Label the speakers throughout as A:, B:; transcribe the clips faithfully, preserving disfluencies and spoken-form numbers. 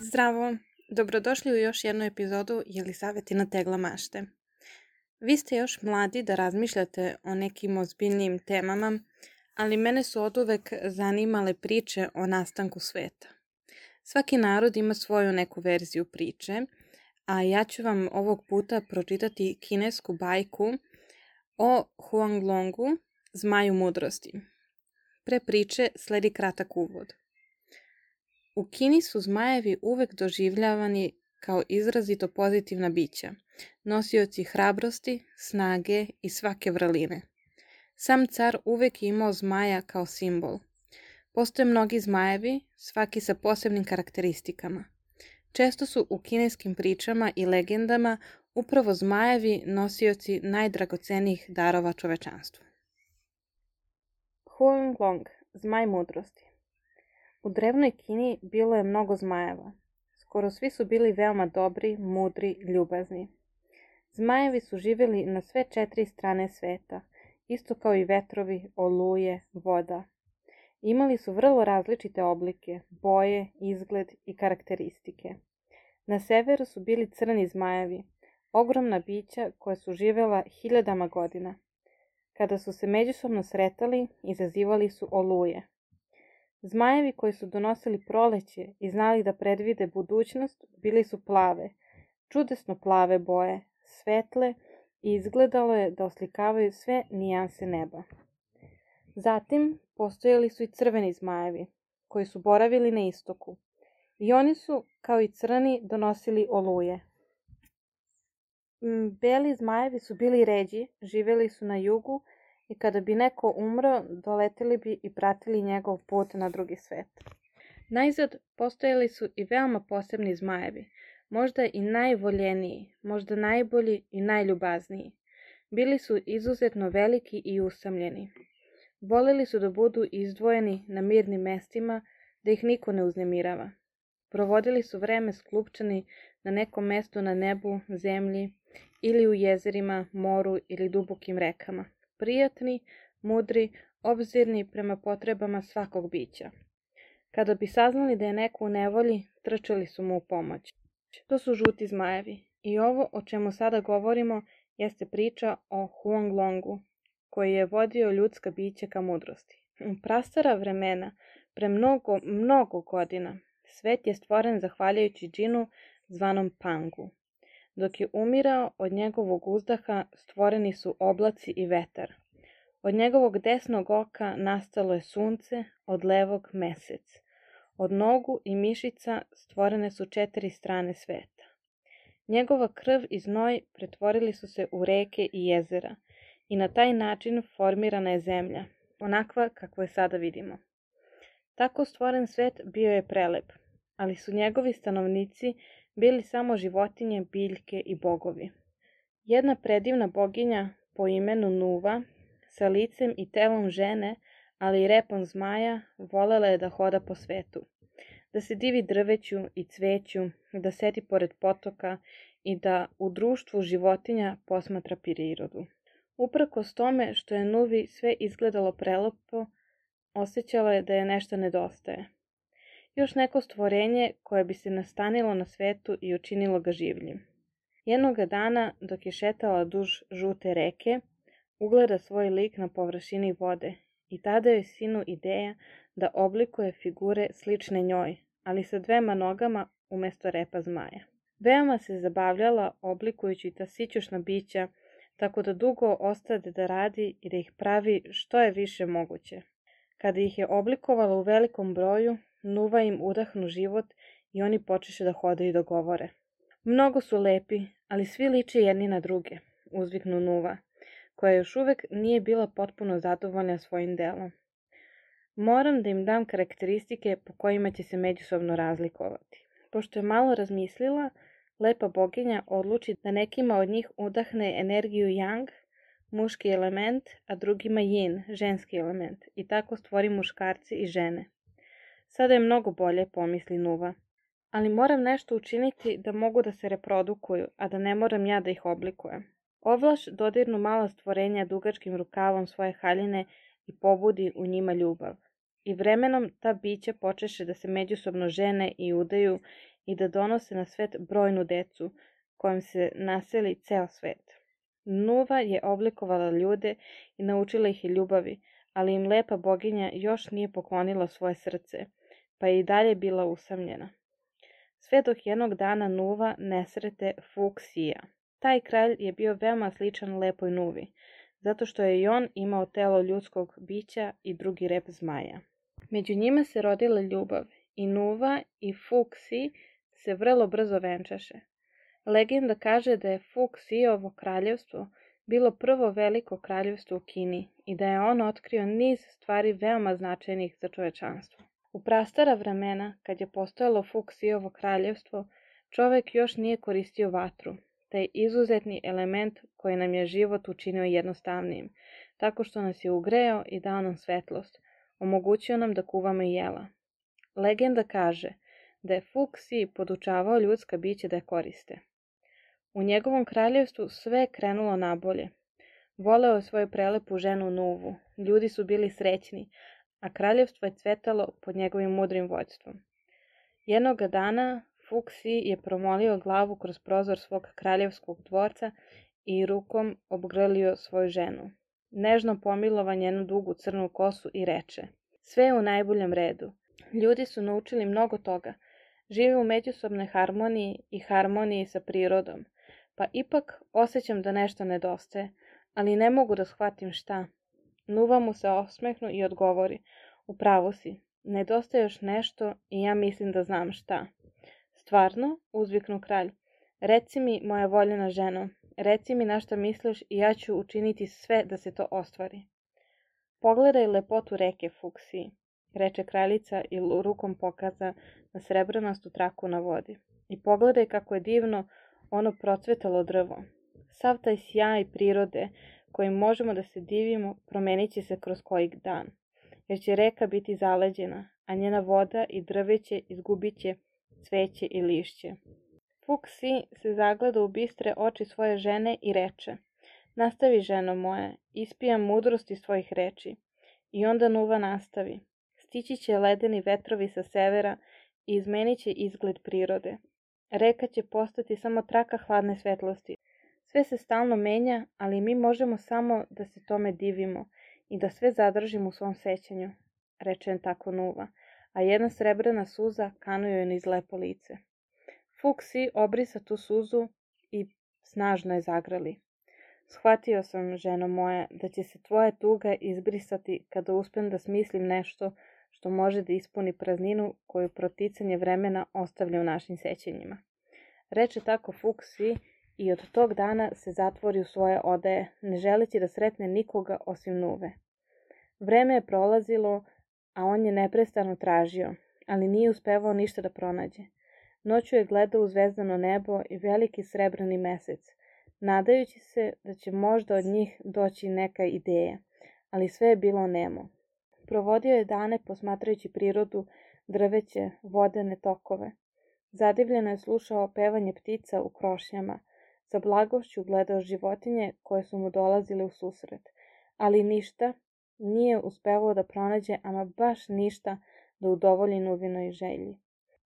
A: Zdravo, dobrodošli u još jednu epizodu Jelisavetina tegla mašte. Vi ste još mladi da razmišljate o nekim ozbiljnijim temama, ali mene su oduvek zanimale priče o nastanku sveta. Svaki narod ima svoju neku verziju priče, a ja ću vam ovog puta pročitati kinesku bajku o Huanglongu, zmaju mudrosti. Pre priče sledi kratak uvod. U Kini su zmajevi uvek doživljavani kao izrazito pozitivna bića, nosioci hrabrosti, snage i svake vrline. Sam car uvek je imao zmaja kao simbol. Postoje mnogi zmajevi, svaki sa posebnim karakteristikama. Često su u kineskim pričama i legendama upravo zmajevi nosioci najdragocenijih darova čovečanstvu. Huanglong, zmaj mudrosti. U drevnoj Kini bilo je mnogo zmajeva. Skoro svi su bili veoma dobri, mudri, ljubazni. Zmajevi su živjeli na sve četiri strane sveta, isto kao i vetrovi, oluje, voda. Imali su vrlo različite oblike, boje, izgled i karakteristike. Na severu su bili crni zmajevi, ogromna bića koja su živjela hiljadama godina. Kada su se međusobno sretali, izazivali su oluje. Zmajevi koji su donosili proleće i znali da predvide budućnost bili su plave, čudesno plave boje, svetle i izgledalo je da oslikavaju sve nijanse neba. Zatim postojali su i crveni zmajevi, koji su boravili na istoku. I oni su, kao i crni, donosili oluje. Beli zmajevi su bili ređi, živjeli su na jugu i kada bi neko umro, doleteli bi i pratili njegov put na drugi svet. Najzad postojali su i veoma posebni zmajevi, možda i najvoljeniji, možda najbolji i najljubazniji. Bili su izuzetno veliki i usamljeni. Voleli su da budu izdvojeni na mirnim mestima, da ih niko ne uznemirava. Provodili su vreme sklupčani na nekom mestu na nebu, zemlji ili u jezerima, moru ili dubokim rekama. Prijatni, mudri, obzirni prema potrebama svakog bića. Kada bi saznali da je neko u nevolji, trčali su mu u pomoć. To su žuti zmajevi i ovo o čemu sada govorimo jeste priča o Huanglongu, koji je vodio ljudska bića ka mudrosti. U prastara vremena, pre mnogo, mnogo godina, svet je stvoren zahvaljujući džinu zvanom Pangu. Dok je umirao, od njegovog uzdaha stvoreni su oblaci i vetar. Od njegovog desnog oka nastalo je sunce, od levog mesec. Od nogu i mišica stvorene su četiri strane sveta. Njegova krv i znoj pretvorili su se u reke i jezera i na taj način formirana je zemlja, onakva kakvu je sada vidimo. Tako stvoren svet bio je prelep, ali su njegovi stanovnici bili samo životinje, biljke i bogovi. Jedna predivna boginja po imenu Nuva, sa licem i telom žene, ali i repom zmaja, volela je da hoda po svetu. Da se divi drveću i cveću, da sedi pored potoka i da u društvu životinja posmatra prirodu. Uprkos tome što je Nuvi sve izgledalo prelepo, osjećala je da je nešto nedostaje. Još neko stvorenje koje bi se nastanilo na svetu i učinilo ga življim. Jednoga dana, dok je šetala duž žute reke, ugleda svoj lik na površini vode i tada je sinu ideja da oblikuje figure slične njoj, ali sa dvema nogama umjesto repa zmaja. Veoma se zabavljala oblikujući ta sićušna bića, tako da dugo ostade da radi i da ih pravi što je više moguće. Kada ih je oblikovala u velikom broju, Nuva im udahnu život i oni počeše da hodaju i da govore. Mnogo su lepi, ali svi liče jedni na druge, uzviknu Nuva, koja još uvek nije bila potpuno zadovoljna svojim delom. Moram da im dam karakteristike po kojima će se međusobno razlikovati. Pošto je malo razmislila, lepa boginja odluči da nekima od njih udahne energiju yang, muški element, a drugima yin, ženski element, i tako stvori muškarci i žene. Sada je mnogo bolje, pomisli Nuva, ali moram nešto učiniti da mogu da se reprodukuju, a da ne moram ja da ih oblikujem. Ovlaš dodirnu mala stvorenja dugačkim rukavom svoje haljine i pobudi u njima ljubav. I vremenom ta bića počeše da se međusobno žene i udaju i da donose na svet brojnu decu, kojom se naseli ceo svet. Nuva je oblikovala ljude i naučila ih i ljubavi, ali im lepa boginja još nije poklonila svoje srce, pa je i dalje bila usamljena. Sve dok jednog dana Nuva ne srete Fuksija. Taj kralj je bio veoma sličan lepoj Nuvi, zato što je i on imao telo ljudskog bića i drugi rep zmaja. Među njima se rodila ljubav i Nuva i Fuksi se vrlo brzo venčaše. Legenda kaže da je Fuksijovo kraljevstvo bilo prvo veliko kraljevstvo u Kini i da je on otkrio niz stvari veoma značajnih za čovečanstvo. U prastara vremena, kad je postojalo Fuksijovo kraljevstvo, čovek još nije koristio vatru, taj izuzetni element koji nam je život učinio jednostavnijim, tako što nas je ugreo i dao nam svetlost, omogućio nam da kuvamo jela. Legenda kaže da je Fuksi podučavao ljudska bića da je koriste. U njegovom kraljevstvu sve je krenulo nabolje. Voleo je svoju prelepu ženu Nuvu, ljudi su bili srećni, a kraljevstvo je cvetalo pod njegovim mudrim vođstvom. Jednoga dana Fuksi je promolio glavu kroz prozor svog kraljevskog dvorca i rukom obgrlio svoju ženu. Nežno pomilova njenu dugu crnu kosu i reče: sve je u najboljem redu. Ljudi su naučili mnogo toga. Žive u međusobnoj harmoniji i harmoniji sa prirodom. Pa ipak osjećam da nešto nedostaje, ali ne mogu da shvatim šta. Nuva mu se osmehnu i odgovori: u pravu si, nedostaje još nešto i ja mislim da znam šta. Stvarno? Uzviknu kralj. Reci mi, moja voljena ženo, reci mi na šta misliš i ja ću učiniti sve da se to ostvari. Pogledaj lepotu reke Fuksi, reče kraljica i rukom pokaza na srebrnastu traku na vodi. I pogledaj kako je divno ono procvetalo drvo. Sav taj sjaj prirode kojim možemo da se divimo promenit će se kroz koji dan, jer će reka biti zaleđena, a njena voda i drveće izgubit će cveće i lišće. Fuksi se zagleda u bistre oči svoje žene i reče: nastavi, ženo moja, ispijam mudrost iz tvojih reči. I onda Nuva nastavi: stići će ledeni vetrovi sa severa i izmenit će izgled prirode. Reka će postati samo traka hladne svetlosti. Sve se stalno menja, ali mi možemo samo da se tome divimo i da sve zadržimo u svom sećanju, reče tako Nuva, a jedna srebrna suza kanuje niz lepo lice. Fuksi obrisa tu suzu i snažno je zagrali. Shvatio sam, ženo moja, da će se tvoja tuga izbrisati kada uspem da smislim nešto što može da ispuni prazninu koju proticanje vremena ostavlja u našim sećanjima. Reče tako Fuksi i od tog dana se zatvori u svoje odaje, ne želeći da sretne nikoga osim Nuve. Vreme je prolazilo, a on je neprestano tražio, ali nije uspevao ništa da pronađe. Noću je gledao u zvezdano nebo i veliki srebrni mesec, nadajući se da će možda od njih doći neka ideja, ali sve je bilo nemo. Provodio je dane posmatrajući prirodu, drveće, vodene tokove. Zadivljeno je slušao pevanje ptica u krošnjama, sa blagošću gledao životinje koje su mu dolazile u susret, ali ništa nije uspevao da pronađe, ama baš ništa da udovolji Nuvinoj želji.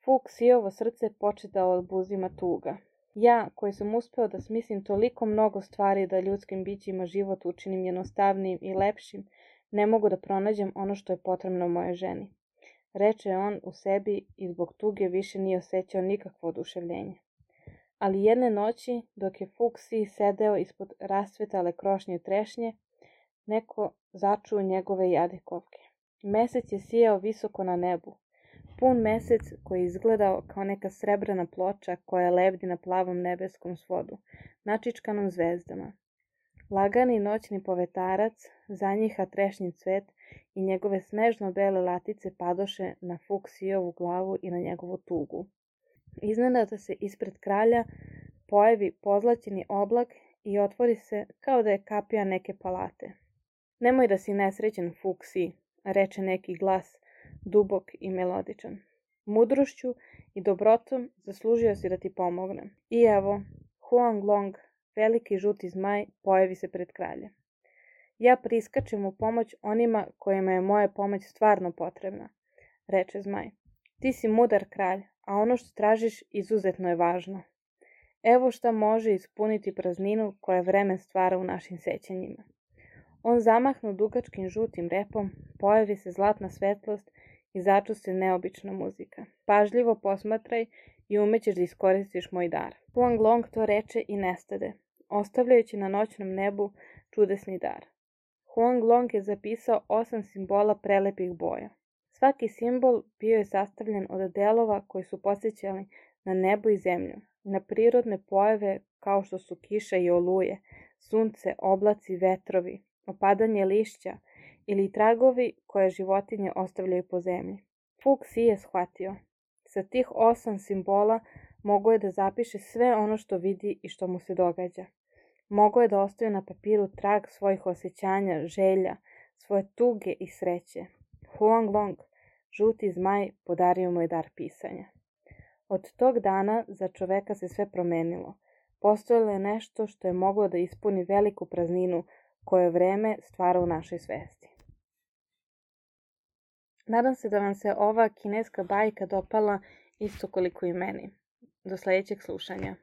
A: Fuksijovo srce poče da odbuzima tuga. Ja, koji sam uspeo da smislim toliko mnogo stvari da ljudskim bićima život učinim jednostavnijim i lepšim, ne mogu da pronađem ono što je potrebno mojoj ženi. Reče on u sebi i zbog tuge više nije osjećao nikakvo oduševljenje. Ali jedne noći, dok je Fuksi sedeo ispod rasvetale krošnje trešnje, neko začuo njegove jadikovke. Mesec je sijao visoko na nebu. Pun mesec koji je izgledao kao neka srebrna ploča koja lebdi na plavom nebeskom svodu, načičkanom zvezdama. Lagani noćni povetarac zanjiha trešnji cvet i njegove snežno bele latice padoše na Fuksijovu glavu i na njegovu tugu. Iznenada se ispred kralja pojavi pozlaćeni oblak i otvori se kao da je kapija neke palate. Nemoj da si nesrećen, Fuksi, reče neki glas, dubok i melodičan. Mudrošću i dobrotom zaslužio si da ti pomognem. I evo, Huang Long, veliki žuti zmaj, pojavi se pred kralja. Ja priskačem u pomoć onima kojima je moja pomoć stvarno potrebna, reče zmaj. Ti si mudar kralj, a ono što tražiš izuzetno je važno. Evo šta može ispuniti prazninu koja vreme stvara u našim sećanjima. On zamahnu dugačkim žutim repom, pojavi se zlatna svetlost i začusti neobična muzika. Pažljivo posmatraj i umećeš da iskoristiš moj dar. Huang Long to reče i nestade, ostavljajući na noćnom nebu čudesni dar. Huang Long je zapisao osam simbola prelepih boja. Svaki simbol bio je sastavljen od delova koji su podsjećali na nebo i zemlju, na prirodne pojave kao što su kiša i oluje, sunce, oblaci, vetrovi, opadanje lišća ili tragovi koje životinje ostavljaju po zemlji. Fu Xi je shvatio. Sa tih osam simbola mogao je da zapiše sve ono što vidi i što mu se događa. Mogao je da ostavi na papiru trag svojih osjećanja, želja, svoje tuge i sreće. Huang Long, žuti zmaj, podario mu je dar pisanja. Od tog dana za čoveka se sve promenilo. Postojalo je nešto što je moglo da ispuni veliku prazninu koje vreme stvara u našoj svesti. Nadam se da vam se ova kineska bajka dopala isto koliko i meni. Do sljedećeg slušanja.